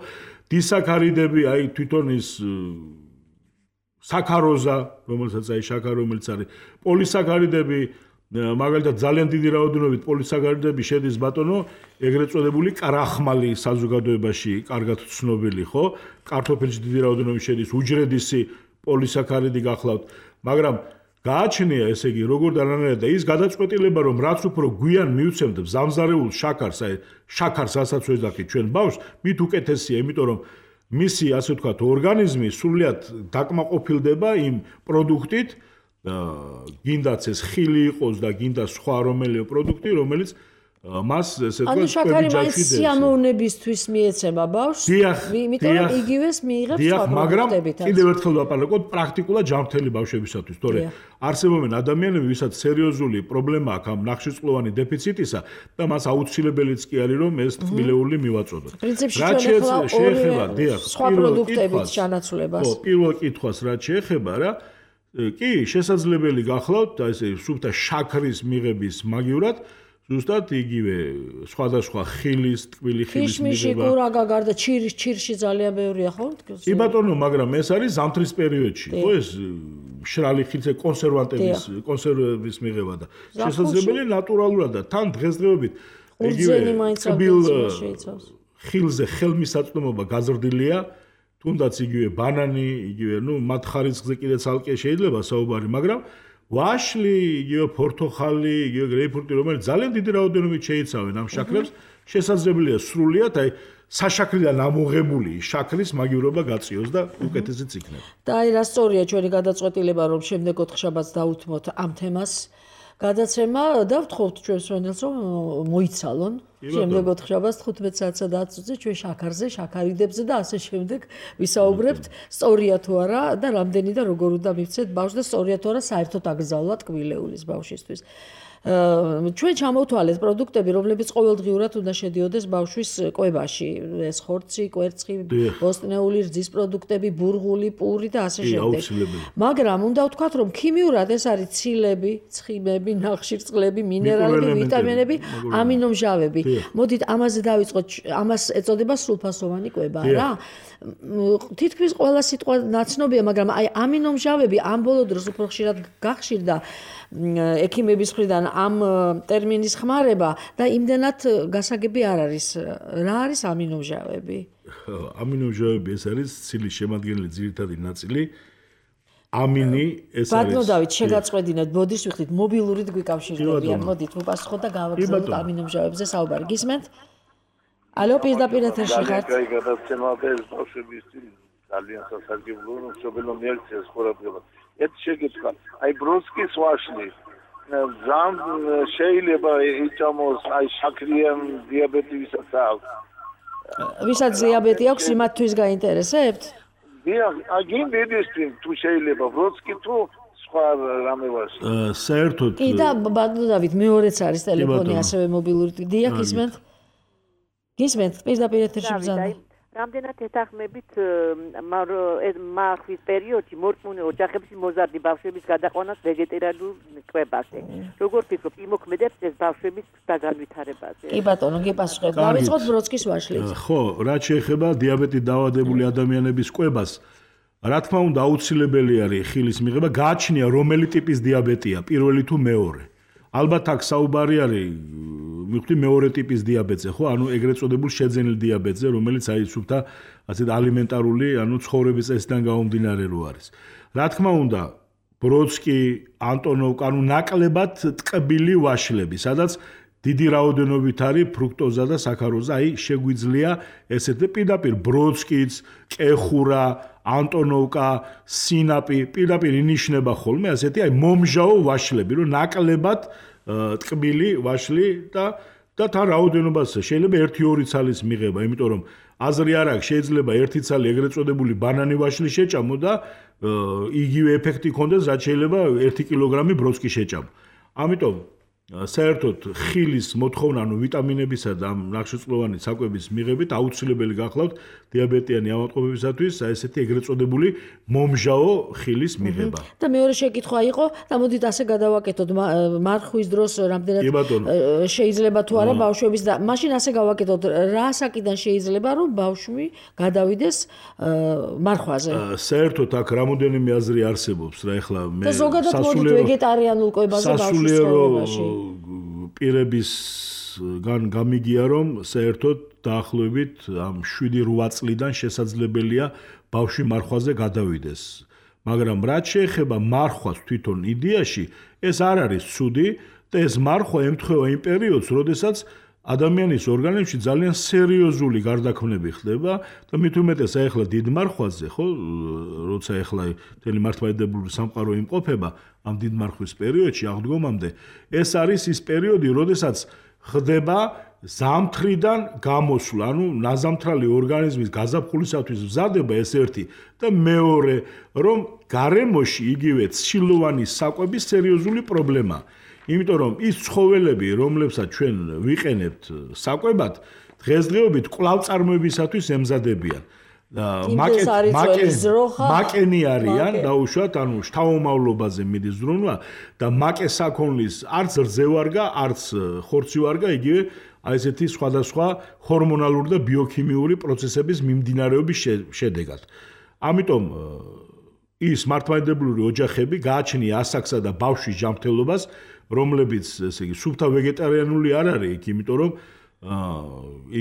დისაქარიდები, აი თვითონ ის საქაროზა, რომელსაც აი შაქარი, რომელიც არის პოლისაქარიდები, მაგალითად ძალიან დიდი რაოდენობით პოლისაქარიდები შედის ბატონო, ეგრეთ წოდებული კრახმალი საზოგადოებაში კარგად ცნობილი, ხო? კარტოფილში დიდი რაოდენობით შედის უჯრედისი პოლისაქარიდი გახლავთ, მაგრამ გააჩნია ესე იგი როგორ დანარჩენია და ის გადაწყვეტილება რომ რაც უფრო გვიან მივცემთ ზამზარეულ შაქარს, აი შაქარს რასაც ვეძახით ჩვენ ბავშვს, მით უკეთესია, იმიტომ რომ მისი ასე ვთქვათ ორგანიზმი სრულიად დაკმაყოფილდება იმ პროდუქტით, გინდაც ეს ხილი იყოს და გინდა სხვა რომელიმე პროდუქტი, რომელიც მას ესე ვთქვათ, ანუ შაქარი მაინც სიამოვნებისთვის მიეცემა ბავშვს, იმიტომ რომ იგივეს მიიღებს სხვა პროდუქტებითაც. კიდევ ერთხელ ვაპარაკოთ პრაქტიკულად ჯანმრთელი ბავშვებისათვის, თორე არსებობენ ადამიანები, ვისაც სერიოზული პრობლემა აქვს ამ ნახშირწყლოვანი დეფიციტისა და მას აუცილებელიც კი არის რომ ეს თბილეული მივაწოდოთ. პრინციპში ჩვენ ახლა შეეხება დიახ, სხვა პროდუქტებით ჩანაცვლებას. ხო, პირველ კითხვას რაც შეეხება რა, კი, შესაძლებელი გახლავთ ესე სუფთა შაქრის მიღების მაგივრად ზუსტად იგივე სხვადასხვა ხილის, ტკბილი ხილის მიღება. ქიშმიში, კურაგა, გარდა ჩირის, ჩირში ძალიან ბევრია ხო? კი ბატონო, მაგრამ ეს არის ზამთრის პერიოდში, ხო ეს მშრალი ხილზე კონსერვანტების, კონსერვების მიღება და შესაძლებელია ნატურალურად და თან დღესდღეობით იგივე ტკბილ ხილზე ხელმისაწვდომობა გაზრდილია, თუნდაც იგივე ბანანი, იგივე ნუ მათ ხარისხზე კიდე ცალკე შეიძლება საუბარი, მაგრამ ვაშლი, იგივე პორტოხალი, იგივე გრეიპფრუტი, რომელიც ძალიან დიდი რაოდენობით შეიცავენ ამ შაქრებს, შესაძლებელია სრულიად აი საშაქრიდან ამოღებული შაქრის მაგივრობა გაწიოს და უკეთესიც იქნება. და აი რა სწორია ჩვენი გადაწყვეტილება, რომ შემდეგ ოთხშაბათს დავუთმოთ ამ თემას გადაცემა და ვთხოვთ ჩვენს მენელს რომ მოიცალონ შემდეგ ოთხშაბათს თხუთმეტ საათსა და ათს ოცზე ჩვენ შაქარზე, შაქარიდებზე და ასე შემდეგ ვისაუბრებთ, სწორია თუ არა და რამდენი და როგორ უნდა მივცეთ ბავშვს და სწორია თუ არა საერთოდ აკრძალვა ტკბილეულის ბავშვისთვის. ჩვენ ჩამოვთვალეთ პროდუქტები, რომლებიც ყოველდღიურად უნდა შედიოდეს ბავშვის კვებაში, ეს ხორცი, კვერცხი, ბოსტნეული რძის პროდუქტები, ბურღული, პური და ასე შემდეგ. მაგრამ უნდა ვთქვათ, რომ ქიმიურად ეს არის ცილები, ცხიმები, ნახშირწყლები, მინერალები, ვიტამინები, ამინომჟავები. მოდით ამაზე დავიწყოთ, ამას ეწოდება სრულფასოვანი კვება რა. თითქმის ყველა სიტყვა ნაცნობია, მაგრამ აი ამინომჟავები ამ ბოლო დროს უფრო ხშირად გახშირდა ექიმების მხრიდან ამ ტერმინის ხმარება და იმდენად გასაგები არ არის. რა არის ამინომჟავები? ამინომჟავები ეს არის ცილის შემადგენელი ძირითადი ნაწილი. ამინი ეს არის. ბატონო დავით, შეგაწყვეტინეთ, ბოდიშ ვიხდით, მობილურით გვიკავშირდებიან. მოდით, ვუპასუხოთ და გავაგზავნოთ ამინომჟავებზე საუბარი. გისმენთ? ალო, პირდაპირ ეთერში ხართ? კაი, გადაცემა და ეს ბავშვების ძალიან სასარგებლოა, რომ მშობელო მიაქციეს ყურადღება. ეს შეგეცვა, აი ბრონსკის ვაშლი, ზამ შეიძლება იწამოს აი შაქრიან დიაბეტი ვისაც აქვს. ვისაც დიაბეტი აქვს, იმათთვის გაინტერესებთ? დიახ, აგინ დედისთვის თუ შეიძლება ბრონსკი თუ სხვა რამე ვაშლი. საერთოდ კი და ბატონო დავით, მეორეც არის ტელეფონი ასევე მობილური. დიახ, ისმენთ? გისმენთ, პირდაპირ ეთერში ბრძანა. რამდენად ეთანხმებით მარხვის პერიოდში მორწმუნე ოჯახებში მოზარდი ბავშვების გადაყვანას ვეგეტარიულ კვებაზე. როგორ ფიქრობთ, იმოქმედებს ეს ბავშვების დაგანვითარებაზე? კი ბატონო, გიპასუხეთ. დავიწყოთ ბრონსკის ვაშლით. ხო, რაც შეეხება დიაბეტით დაავადებული ადამიანების კვებას, რა თქმა უნდა აუცილებელი არის ხილის მიღება, გააჩნია რომელი ტიპის დიაბეტია, პირველი თუ მეორე. ალბათ აქ საუბარი არის მივხვდი მეორე ტიპის დიაბეტზე, ხო? ანუ ეგრეთ წოდებულ შეძენილ დიაბეტზე, რომელიც აი სუფთა ასეთ ალიმენტარული, ანუ ცხოვრების წესიდან გამომდინარე რო არის. რა თქმა უნდა, ბროდსკი, ანტონოვკა, ანუ ნაკლებად ტკბილი ვაშლები, სადაც დიდი რაოდენობით არის ფრუქტოზა და საქაროზა, აი შეგვიძლია ესეთ პირდაპირ ბროდსკიც, კეხურა, ანტონოვკა, სინაპი, პირდაპირ ინიშნება ხოლმე ასეთი აი მომჟაო ვაშლები, რომ ნაკლებად ტკბილი ვაშლი და და თან რაოდენობას შეიძლება ერთი ორი ცალის მიღება, იმიტომ რომ აზრი არ აქვს, შეიძლება ერთი ცალი ეგრეთ წოდებული ბანანი ვაშლი შეჭამო და იგივე ეფექტი ქონდეს, რაც შეიძლება ერთი კილოგრამი ბროდსკი შეჭამო. ამიტომ საერთოდ ხილის მოთხოვნა, ანუ ვიტამინებისა და ნახშირწყლოვანი საკვების მიღებით აუცილებელი გახლავთ დიაბეტიანი ავადმყოფებისათვის ესეთი ეგრეთ წოდებული მომჟაო ხილის მიღება. და მეორე შეკითხვა იყო, და მოდით ასე გადავაკეთოთ მარხვის დროს რამდენად შეიძლება თუ არა ბავშვების და მაშინ ასე გავაკეთოთ, რა საკიდან შეიძლება რომ ბავშვი გადავიდეს მარხვაზე? საერთოდ აქ რამოდენიმე აზრი არსებობს, რა ეხლა მე და ზოგადად მოდით ვეგეტარიანულ კვებაზე ბავშვის ცხოვრებაში. პირებისგან გამიგია რომ საერთოდ დაახლოებით ამ შვიდი რვა წლიდან შესაძლებელია ბავშვი მარხვაზე გადავიდეს. მაგრამ რაც შეეხება მარხვას თვითონ იდეაში, ეს არ არის ცუდი და ეს მარხვა ემთხვევა იმ პერიოდს, როდესაც ადამიანის ორგანიზმში ძალიან სერიოზული გარდაქმნები ხდება და მით უმეტეს ახლა დიდ მარხვაზე, ხო, როცა ახლა მთელი მართლმადიდებლური სამყარო იმყოფება ამ დიდ მარხვის პერიოდში აღდგომამდე, ეს არის ის პერიოდი, როდესაც ხდება ზამთრიდან გამოსვლა, ანუ ნაზამთრალი ორგანიზმის გაზაფხულისათვის მზადება ეს ერთი და მეორე, რომ გარემოში იგივე ცილოვანი საკვების სერიოზული პრობლემაა. იმიტომ რომ ის ცხოველები, რომლებსაც ჩვენ ვიყენებთ საკვებად, დღესდღეობით კვლავწარმოებისათვის ემზადებიან. მაკენი არიან, დაუშვათ, ანუ შთამომავლობაზე მიდის ზრუნვა და მაკე საქონლის არც რძევარგა, არც ხორცივარგა, იგივე აი ესეთი სხვადასხვა ჰორმონალური და ბიოქიმიური პროცესების მიმდინარეობის შედეგად. ამიტომ ის მართლმადიდებლური ოჯახები გააჩნია ასაკსა და ბავშვის ჯანმრთელობას, რომლებიც ესე იგი სუფთა ვეგეტარიანული არ არის იქ, იმიტომ რომ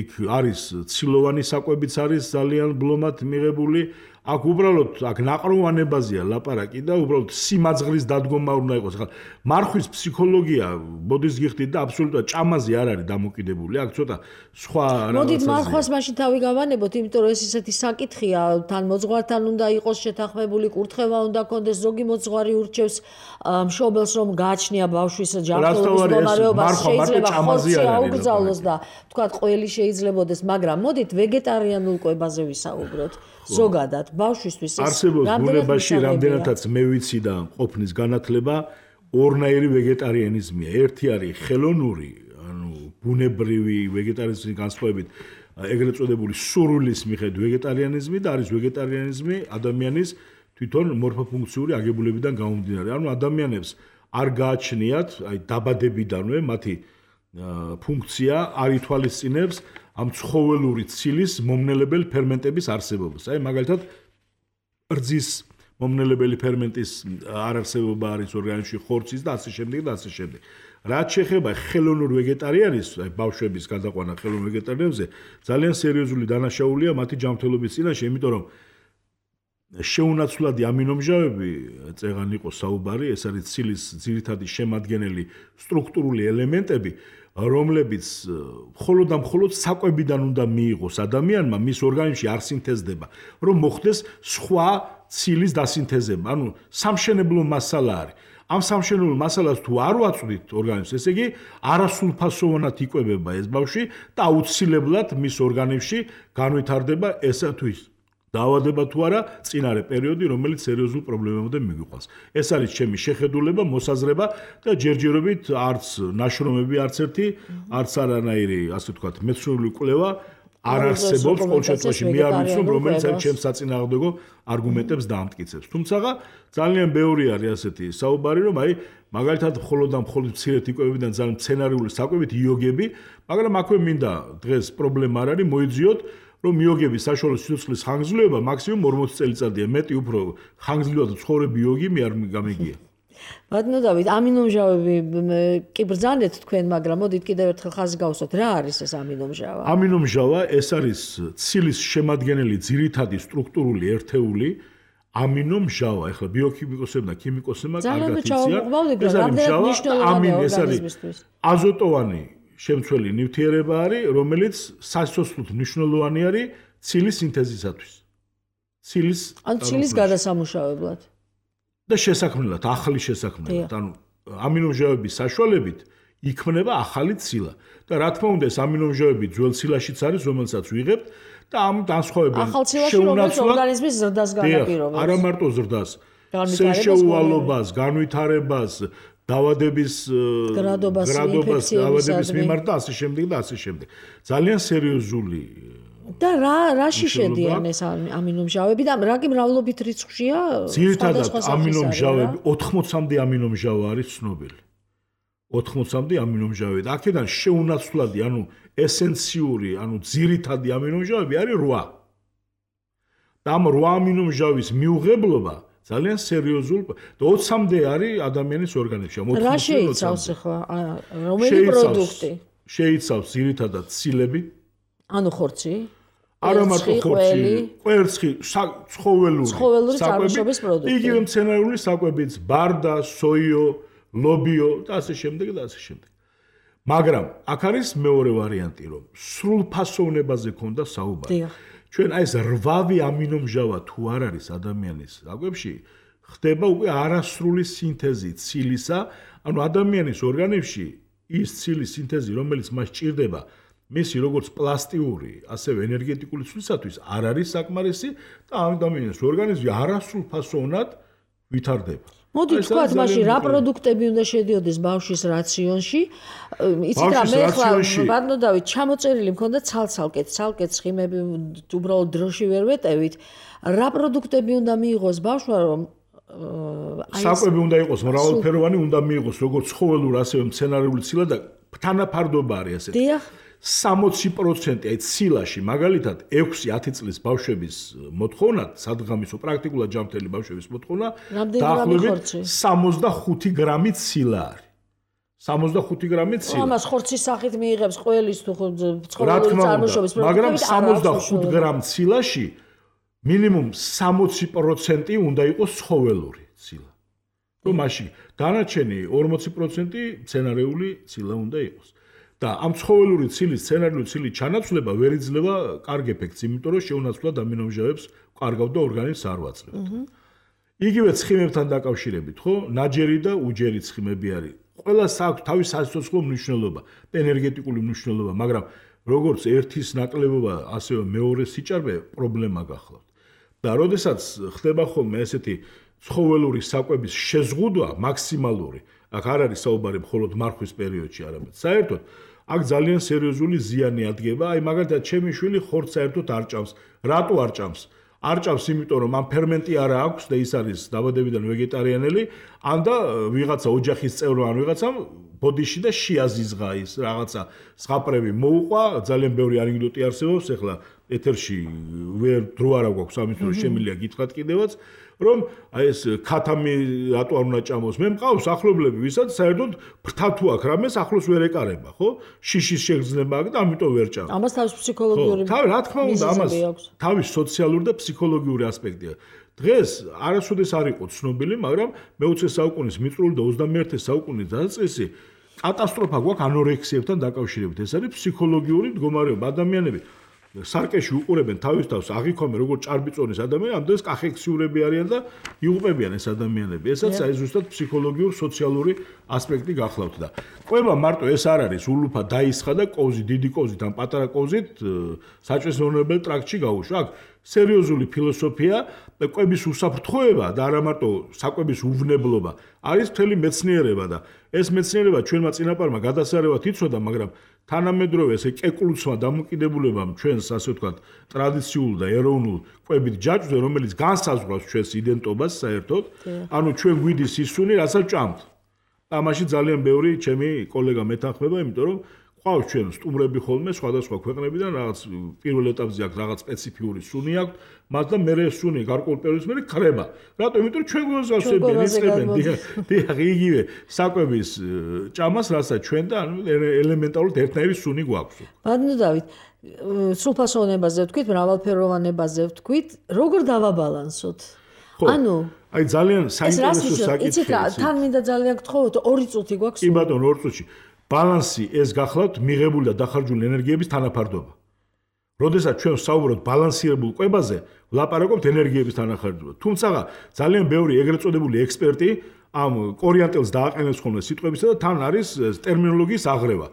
იქ არის ცილოვანი საკვებიც არის ძალიან ბლომად მიღებული. აქ უბრალოდ აქ ნაყროვანებაზეა ლაპარაკი და უბრალოდ სიმაძღრის დადგომა უნდა იყოს. ხა მარხვის ფსიქოლოგია ბოდის გიხდით და აბსოლუტურად ჭამაზე არ არის დამოკიდებული. აქ ცოტა სხვა რაღაცაა. მოდით მარხვას მაშინ თავი გავანებოთ, იმიტომ რომ ეს ისეთი საკითხია, თან მოძღვართან უნდა იყოს შეთანხმებული, კურთხევა უნდა კონდეს, ზოგი მოძღვარი ურჩევს მშობელს რომ გააჩნია ბავშვის ჯანმრთელობის მდგომარეობა, შეიძლება ხორცი აუგზავნოს და თქვა ყველი შეიძლებაოდეს, მაგრამ მოდით ვეგეტარიანულ კვებაზე ვისაუბროთ. ზოგადად ბავშვისთვის არსებობს ბუნებაში რამდენადაც მე ვიცი და ყოფნის განათლება ორნაირი ვეგეტარიანიზმია. ერთი არის ხელოვნური, ანუ ბუნებრივი ვეგეტარიანიზმის განსხვავებით ეგრეთ წოდებული სურვილის მიხედვით ვეგეტარიანიზმი და არის ვეგეტარიანიზმი ადამიანის თვითონ მორფოფუნქციური აგებულებიდან გამომდინარე. ანუ ადამიანებს არ გააჩნიათ, აი დაბადებიდანვე მათი ფუნქცია არ ითვალისწინებს ამ ცხოველური ცილის მომნელებელი ფერმენტების არსებობას. აი მაგალითად რძის მომნელებელი ფერმენტის არარსებობა არის ორგანიზმში, ხორცის და ასე შემდეგ და ასე შემდეგ. რაც შეეხება ხელოვნურ ვეგეტარიანიზმს, აი ბავშვების გადაყვანა ხელოვნურ ვეგეტარიანიზმზე, ძალიან სერიოზული დანაშაულია მათი ჯანმრთელობის წინაშე, იმიტომ რომ შეუნაცვლადი ამინომჟავები, წეგან იყო საუბარი, ეს არის ცილის ძირითადი შემადგენელი სტრუქტურული ელემენტები, რომლებიც მხოლოდ და მხოლოდ საკვებიდან უნდა მიიღოს ადამიანმა, მის ორგანიზმში არ სინთეზდება, რომ მოხდეს სხვა ცილის დასინთეზება. ანუ სამშენებლო მასალა არის. ამ სამშენებლო მასალას თუ არ ვაწვდით ორგანიზმს, ესე იგი არასრულფასოვანად იკვებება ეს ბავშვი და აუცილებლად მის ორგანიზმში განვითარდება ესა თუ ის დაავადება თუ არა წინარე პერიოდი, რომელიც სერიოზულ პრობლემამდე მიგვიყვანს. ეს არის ჩემი შეხედულება, მოსაზრება და ჯერჯერობით არც ნაშრომები არც ერთი, არც არანაირი, ასე ვთქვათ, მეცნიერული კვლევა არ არსებობს ყოველ შემთხვევაში მე არ ვიცნობ, რომელიც არის ჩემს საწინააღმდეგო არგუმენტებს დაამტკიცებს. თუმცა ძალიან ბევრი არის ასეთი საუბარი, რომ აი მაგალითად მხოლოდ და მხოლოდ მცირედ იკვებებიდან ძალიან მცენარეული საკვებით იოგები, მაგრამ აქვე მინდა დღეს პრობლემა არ არის, მოიძიოთ რომ იოგების საშუალო სიცოცხლის ხანგრძლივობა მაქსიმუმ ორმოცი წელიწადია, მეტი უფრო ხანგრძლივად ცხოვრები იოგი მე არ გამიგია. ბატონო დავით, ამინომჟავები კი ბრძანეთ თქვენ, მაგრამ მოდით კიდევ ერთხელ ხაზი გავუსვათ, რა არის ეს ამინომჟავა? ამინომჟავა ეს არის ცილის შემადგენელი ძირითადი სტრუქტურული ერთეული ამინომჟავა. ეხლა ბიოქიმიკოსებმა და ქიმიკოსებმა კარგად იციან. ეს არის მნიშვნელოვანი ორგანიზმისთვის. აზოტოვანი შემცველი ნივთიერება არის, რომელიც სასიცოცხლოდ მნიშვნელოვანი არის ცილის სინთეზისათვის. ცილის ან ცილის გადასამუშავებლად. და შესაქმნელად, ახალი შესაქმნელად. ანუ ამინომჟავების საშუალებით იქმნება ახალი ცილა. და რა თქმა უნდა, ეს ამინომჟავები ძველ ცილაშიც არის, რომელსაც ვიღებთ და ამ განსხვავებენ შეუნაცვლად ორგანიზმის ზრდას განაპირობებს. არა მარტო ზრდას, სენშუალობას, განვითარებას, დავადების გრადობას, დავადების მიმართ და ასე შემდეგ და ასე შემდეგ. ძალიან სერიოზული და რა რაში შედიან ეს ამინომჟავები და რა კი მრავლობით რიცხვშია? ძირითადად ამინომჟავები ოთხმოცამდე ამინომჟავა არის ცნობილი. ოთხმოცამდე ამინომჟავები და აქედან შეუნაცვლადი, ანუ ესენციური, ანუ ძირითადი ამინომჟავები არის რვა. და ამ რვა ამინომჟავის მიუღებლობა ძალიან სერიოზული და ოცამდე არის ადამიანის ორგანიზმში. რა შეიცავს ახლა? რომელი პროდუქტი? შეიცავს ძირითადად ცილები. ანუ ხორცი? არა მარტო ხორცი, კვერცხი, ცხოველური წარმოშობის პროდუქტი. იგივე მცენარეული საკვებიც, ბარდა, სოიო, ლობიო და ასე შემდეგ და ასე შემდეგ. მაგრამ აქ არის მეორე ვარიანტი, რომ სრულფასოვნებაზე ქონდა საუბარი. ჩვენ აი ეს რვავი ამინომჟავა თუ არ არის ადამიანის საკვებში, ხდება უკვე არასრული სინთეზი ცილისა, ანუ ადამიანის ორგანიზმში ის ცილის სინთეზი, რომელიც მას ჭირდება, მისი როგორც პლასტიური, ასევე ენერგეტიკული ცვლისათვის არ არის საკმარისი და ადამიანის ორგანიზმი არასრულფასოვნად ვითარდება. მოდი თქვათ, მაშინ რა პროდუქტები უნდა შედიოდეს ბავშვის რაციონში? იცით რა, მე ხლა ვარნოდავით, ჩამოწერილი მქონდა ცალ-ცალკეთ, ცალკეთ ცხიმები უბრალოდ დროში ვერ ვეტევით. რა პროდუქტები უნდა მიიღოს ბავშვმა, რომ საკვები უნდა იყოს მრავალფეროვანი, უნდა მიიღოს როგორც ცხოველური, ასევე მცენარეული ცილა და თანაფარდობა არის ასეთი. დიახ. სამოცი პროცენტი აი ცილაში, მაგალითად, ექვსი ათი წლის ბავშვების მოთხოვნა, სადღამისო პრაქტიკულად ჯანმრთელი ბავშვების მოთხოვნა, დაახლოებით სამოცდახუთი გრამი ცილა არის. სამოცდახუთი გრამი ცილა. ამას ხორცის სახით მიიღებს ყველის თუ ცხოველური წარმოშობის პროდუქტები, მაგრამ სამოცდახუთ გრამ ცილაში მინიმუმ სამოცი პროცენტი უნდა იყოს ცხოველური ცილა. რომ მაშინ დანარჩენი ორმოცი პროცენტი მცენარეული ცილა უნდა იყოს. და ამ ცხოველური ცილის, სცენარიული ცილის ჩანაცვლება ვერ იძლევა კარგ ეფექტს, იმიტომ რომ შეუნაცვლად ამინომჟავებს კარგავ და ორგანიზმს არ ვაძლევთ. იგივე ცხიმებთან დაკავშირებით, ხო? ნაჯერი და უჯერი ცხიმები არის. ყველას აქვს თავის სასიცოცხლო მნიშვნელობა, ენერგეტიკული მნიშვნელობა, მაგრამ როგორც ერთის ნაკლებობა, ასევე მეორე სიჭარბე პრობლემა გახლავთ. და როდესაც ხდება ხოლმე ესეთი ცხოველური საკვების შეზღუდვა მაქსიმალური, აქ არ არის საუბარი მხოლოდ მარხვის პერიოდში, არამედ საერთოდ აქ ძალიან სერიოზული ზიანი ადგება, აი მაგალითად ჩემი შვილი ხორცს საერთოდ არ ჭამს. რატო არ ჭამს? არ ჭამს, იმიტომ რომ ამ ფერმენტი არა აქვს და ის არის დაბადებიდან ვეგეტარიანელი, ან და ვიღაცა ოჯახის წევრმა ან ვიღაცამ ბოდიში და შეაზიზღა ის რაღაცა ზღაპრები მოუყვა, ძალიან ბევრი ანეკდოტი არსებობს, ახლა ეთერში ვერ დრო არ აქვს ამის რომ შემიძლია გითხრათ კიდევაც, რომ აი ეს ქათამი რატო არ უნდა ჭამოს? მე მყავს ახლობლები, ვისაც საერთოდ ფრთა თუ აქვს რამეს ახლოს ვერ ეკარება, ხო? შიშის შეგრძნება აქვს და ამიტომ ვერ ჭამს. ამას თავის ფსიქოლოგიური თავი რა თქმა უნდა, ამას თავის სოციალური და ფსიქოლოგიური ასპექტია. დღეს არასოდეს არ იყო ცნობილი, მაგრამ მეოცე საუკუნის მიწურულო და ოცდამეერთე საუკუნის დასაწყისი კატასტროფა გვაქვს ანორექსიებთან დაკავშირებით. ეს არის ფსიქოლოგიური მდგომარეობა. ადამიანები სარკეში უყურებენ თავის თავს აღიქვამენ როგორც ჭარბიწონის ადამიანები, ამდენს კახექსიურები არიან და იუყებიან ეს ადამიანები. ესაც აი ზუსტად ფსიქოლოგიური, სოციალური ასპექტი გახლავთ და კვება მარტო ეს არ არის ულუფა დაისხა და კოვზი, დიდი კოვზით ან პატარა კოვზით საჭესრონებელ ტრაქტში გაუშვა. აქ სერიოზული ფილოსოფია და კვების უსაფრთხოება და არა მარტო საკვების უვნებლობა არის მთელი მეცნიერება და ეს მეცნიერება ჩვენმა წინაპარმა გადასარევად იცოდა, მაგრამ თანამედროვე ესე კეკლუცმა დამოკიდებულებამ ჩვენს ასე ვთქვათ ტრადიციულ და ეროვნულ კვებით ჯაჭვზე, რომელიც განსაზღვრავს ჩვენს იდენტობას საერთოდ, ანუ ჩვენ გვიდის ისუნი, რასაც ჭამთ. და ამაში ძალიან ბევრი ჩემი კოლეგა მეთანხმება, იმიტომ რომ ყავს ჩვენ სტუმრები ხოლმე სხვადასხვა ქვეყნებიდან, რაღაც პირველ ეტაპზე აქვს რაღაც სპეციფიური სუნი აქვს, მას და მერე სუნი გარკვეულ პერიოდს მერე ხრება. რატო? იმიტომ რომ ჩვენ გვასწავლებენ, იწებენ, დიახ, იგივე საკვების ჭამას, რასაც ჩვენ და ელემენტარულად ერთნაირი სუნი გვაქვს. ბადნოდავით, სრულფასოვნებაზე ვთქვით, მრავალფეროვანებაზე ვთქვით, როგორ დავაბალანსოთ? ანუ აი ძალიან საინტერესო საკითხია. იცით რა, თან მინდა ძალიან გთხოვოთ, ორი წუთი გვაქვს. კი ბატონო, ორი წუთში. ბალანსი ეს გახლავთ მიღებული და დახარჯული ენერგიების თანაფარდობა. როდესაც ჩვენ ვსაუბრობთ ბალანსირებულ კვებაზე, ვლაპარაკობთ ენერგიების თანახარჯულად. თუმცა ძალიან ბევრი ეგრეთ წოდებული ექსპერტი ამ კორიანტელს დააყენებს ხოლმე სიტყვებისა და თან არის ტერმინოლოგიის აღრევა.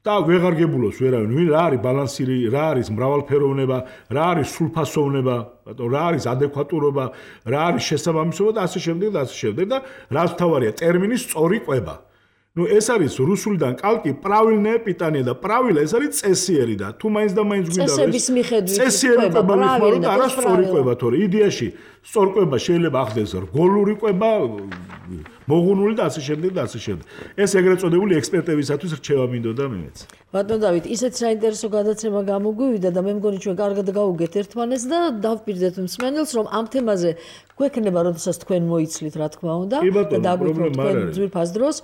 და ვეღარგებულოს ვერავინ, ვინ რა არის ბალანსი, რა არის მრავალფეროვნება, რა არის სრულფასოვნება, რა არის ადეკვატურობა, რა არის შესაბამისობა და ასე შემდეგ და ასე შემდეგ და რაც თავარია ტერმინის სწორი ყვება. Ну ეს არის რუსულიდან კალკი правильное питание და правильно ეს არის წესიერი და თუ მაინც და მაინც გვინდა წესების მიხედვით წესიერი ყვება მიხმარო და არა სწორი ყვება თორე იდეაში სწორ ყვება შეიძლება ახდეს რგოლური ყვება მოგუნული და ასე შემდეგ და ასე შემდეგ ეს ეგრეთ წოდებული ექსპერტებისათვის რჩევა მინდოდა მეც ბატონო დავით ისეთ საინტერესო გადაცემა გამოგვივიდა და მე მგონი ჩვენ კარგად გავუგეთ ერთმანეთს და დავპირდეთ მსმენელს რომ ამ თემაზე გვექნება როდესაც თქვენ მოიცლით რა თქმა უნდა და დაგვიწყოთ თქვენ ძვირფას დროს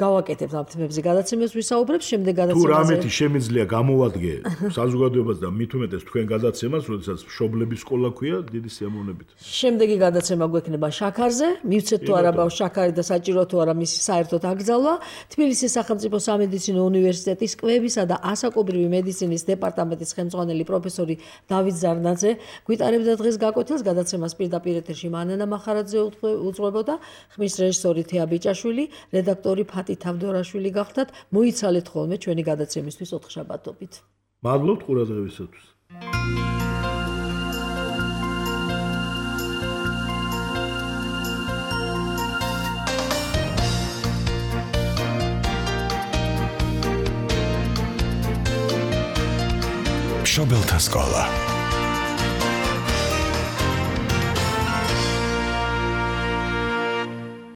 გავაკეთებთ ამ თემებზე გადაცემებს ვისაუბრებს შემდეგ გადაცემაზე თუ რამეთი შემიძლია გამოვადგე საზოგადოებას და მით უმეტეს თქვენ გადაცემას როდესაც მშობლების სკოლა ქვია დიდი სიამოვნებით შემდეგი გადაცემა გვექნება შაქარზე მივცეთ თუ არა ბავშვ შაქარი და საჭირო თუ არა მისი საერთოდ აკრძალვა თბილისის სახელმწიფო სამედიცინო უნივერსიტეტის კვებისა და ასაკობრივი მედიცინის დეპარტამენტის ხელმძღვანელი პროფესორი დავით ზარნაძე გვიტარებდა დღეს გაკვეთილს გადაცემას პირდაპირ ეთერში მანანა მახარაძე უძღვებოდა ხმის რეჟისორი თეა ბიჭაშვილი რედაქტორი ფატი თავდორაშვილი გახდათ მოიცალეთ ხოლმე ჩვენი გადაცემისთვის ოთხშაბათობით მადლობთ ყურადღებისათვის მშობელთა სკოლა